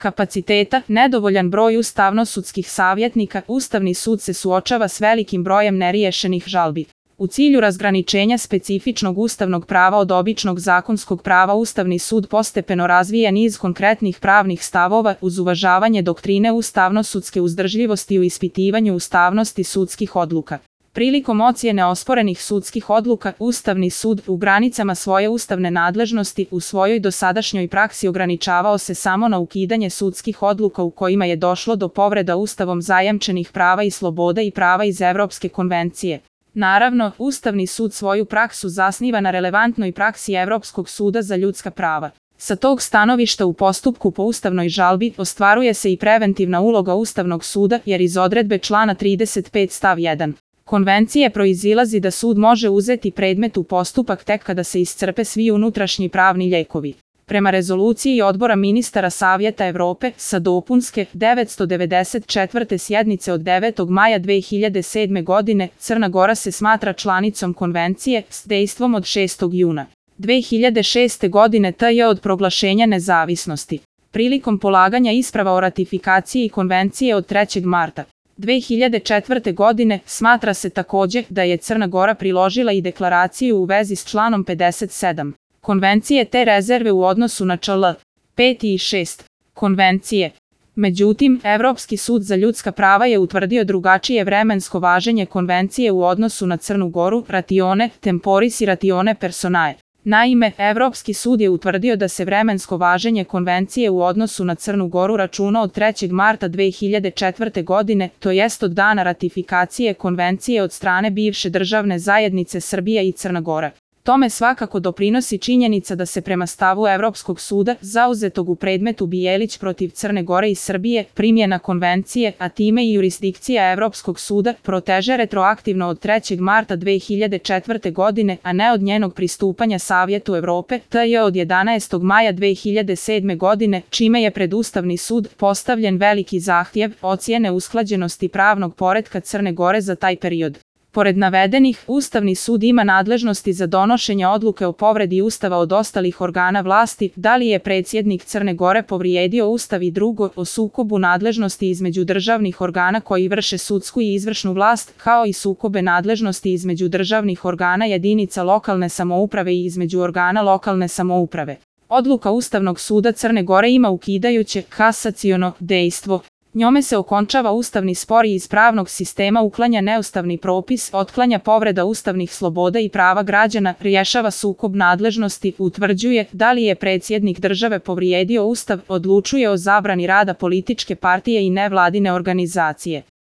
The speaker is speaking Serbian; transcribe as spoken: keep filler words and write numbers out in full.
kapaciteta, nedovoljan broj ustavno-sudskih savjetnika, Ustavni sud se suočava s velikim brojem neriješenih žalbi. U cilju razgraničenja specifičnog ustavnog prava od običnog zakonskog prava Ustavni sud postepeno razvija niz konkretnih pravnih stavova uz uvažavanje doktrine ustavno-sudske uzdržljivosti u ispitivanju ustavnosti sudskih odluka. Prilikom ocjene osporenih sudskih odluka, Ustavni sud u granicama svoje ustavne nadležnosti u svojoj dosadašnjoj praksi ograničavao se samo na ukidanje sudskih odluka u kojima je došlo do povreda Ustavom zajamčenih prava i sloboda i prava iz Evropske konvencije. Naravno, Ustavni sud svoju praksu zasniva na relevantnoj praksi Evropskog suda za ljudska prava. Sa tog stanovišta u postupku po ustavnoj žalbi ostvaruje se i preventivna uloga Ustavnog suda jer iz odredbe člana trideset pet stav jedan. Konvencije proizilazi da sud može uzeti predmet u postupak tek kada se iscrpe svi unutrašnji pravni lijekovi. Prema rezoluciji Odbora ministara Savjeta Evrope sa dopunske devetsto devedeset četvrte sjednice od devetog maja dve hiljade sedme godine, Crna Gora se smatra članicom konvencije s dejstvom od šestog juna dve hiljade šeste. godine te od proglašenja nezavisnosti. Prilikom polaganja isprava o ratifikaciji konvencije od trećeg marta dve hiljade četvrte. godine smatra se također da je Crna Gora priložila i deklaraciju u vezi s članom pedeset sedam. Konvencije te rezerve u odnosu na čl. pet i šest. Konvencije. Međutim, Evropski sud za ljudska prava je utvrdio drugačije vremensko važenje konvencije u odnosu na Crnu Goru, ratione temporis i ratione personae. Naime, Evropski sud je utvrdio da se vremensko važenje konvencije u odnosu na Crnu Goru računa od trećeg marta dve hiljade četvrte. godine, to jest od dana ratifikacije konvencije od strane bivše državne zajednice Srbija i Crna Gora. Tome svakako doprinosi činjenica da se prema stavu Evropskog suda, zauzetog u predmetu Bijelić protiv Crne Gore i Srbije, primjena konvencije, a time i jurisdikcija Evropskog suda, proteže retroaktivno od trećeg marta dve hiljade četvrte. godine, a ne od njenog pristupanja Savjetu Evrope, te od jedanaestog maja dve hiljade sedme. godine, čime je pred Ustavni sud postavljen veliki zahtjev ocjene usklađenosti pravnog poretka Crne Gore za taj period. Pored navedenih, Ustavni sud ima nadležnosti za donošenje odluke o povredi Ustava od ostalih organa vlasti, da li je predsjednik Crne Gore povrijedio Ustav i drugo, o sukobu nadležnosti između državnih organa koji vrše sudsku i izvršnu vlast, kao i sukobe nadležnosti između državnih organa jedinica lokalne samouprave i između organa lokalne samouprave. Odluka Ustavnog suda Crne Gore ima ukidajuće kasaciono dejstvo. Njome se okončava ustavni spor i iz pravnog sistema uklanja neustavni propis, otklanja povreda ustavnih sloboda i prava građana, rješava sukob nadležnosti, utvrđuje da li je predsjednik države povrijedio Ustav, odlučuje o zabrani rada političke partije i nevladine organizacije.